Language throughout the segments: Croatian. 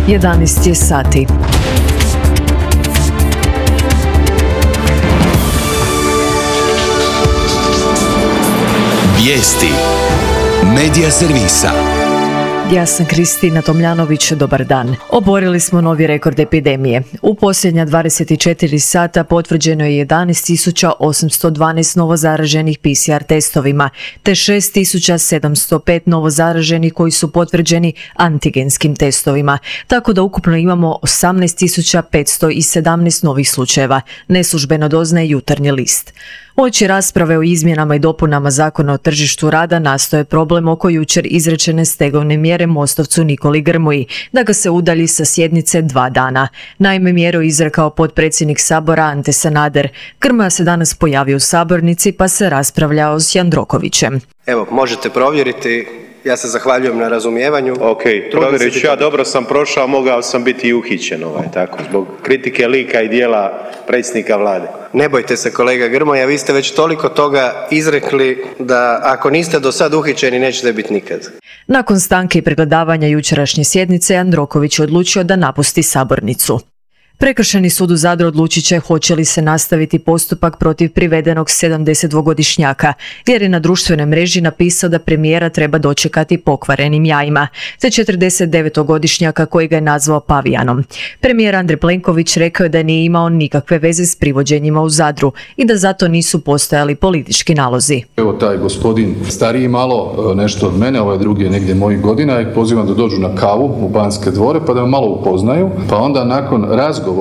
11 je sati. Vijesti Medija servisa. Ja sam Kristina Tomljanović, dobar dan. Oborili smo novi rekord epidemije. U posljednja 24 sata potvrđeno je 11.812 novozaraženih PCR testovima, te 6.705 novozaraženih koji su potvrđeni antigenskim testovima, tako da ukupno imamo 18.517 novih slučajeva, neslužbeno doznaje Jutarnji list. Uoči rasprave o izmjenama i dopunama Zakona o tržištu rada nastoje problem oko jučer izrečene stegovne mjere Mostovcu Nikoli Grmoji, da ga se udalji sa sjednice 2 dana. Naime, mjeru izrekao potpredsjednik Sabora Ante Sanader. Grmoja se danas pojavio u sabornici pa se raspravljao s Jandrokovićem. Evo, možete provjeriti. Ja se zahvaljujem na razumijevanju. Ok, provjerit ću ja, dobro sam prošao, mogao sam biti i uhićen tako, zbog kritike lika i dijela predsjednika vlade. Ne bojte se kolega Grmoja, vi ste već toliko toga izrekli da ako niste do sad uhićeni nećete biti nikad. Nakon stanke i pregledavanja jučerašnje sjednice, Jandroković je odlučio da napusti sabornicu. Prekršajni sud u Zadru odlučit će hoće li se nastaviti postupak protiv privedenog 72-godišnjaka, jer je na društvenoj mreži napisao da premijera treba dočekati pokvarenim jajima, te 49-godišnjaka koji ga je nazvao pavijanom. Premijer Andrej Plenković rekao je da nije imao nikakve veze s privođenjima u Zadru i da zato nisu postojali politički nalozi. Evo taj gospodin stariji malo nešto od mene, ovaj drugi je negdje mojih godina, i pozivam da dođu na kavu u Banske dvore pa da me malo upoznaju, pa onda nakon razgovora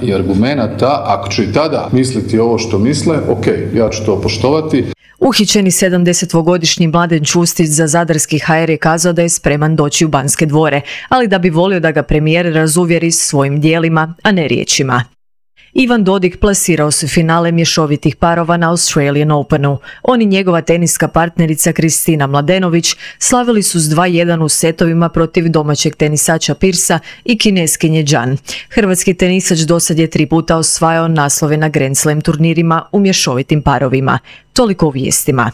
i argumenata, ako će i tada misliti ovo što misle, ok, ja ću to poštovati. Uhićeni 72-godišnji Mladen Čustić za zadarski HR je kazao da je spreman doći u Banske dvore, ali da bi volio da ga premijer razuvjeri svojim djelima, a ne riječima. Ivan Dodig plasirao se finale mješovitih parova na Australian Openu. On i njegova teniska partnerica Kristina Mladenović slavili su s 2:1 u setovima protiv domaćeg tenisača Pirsa i Kineskinje Zhan. Hrvatski tenisač dosad je 3 puta osvajao naslove na Grand Slam turnirima u mješovitim parovima. Toliko u vijestima.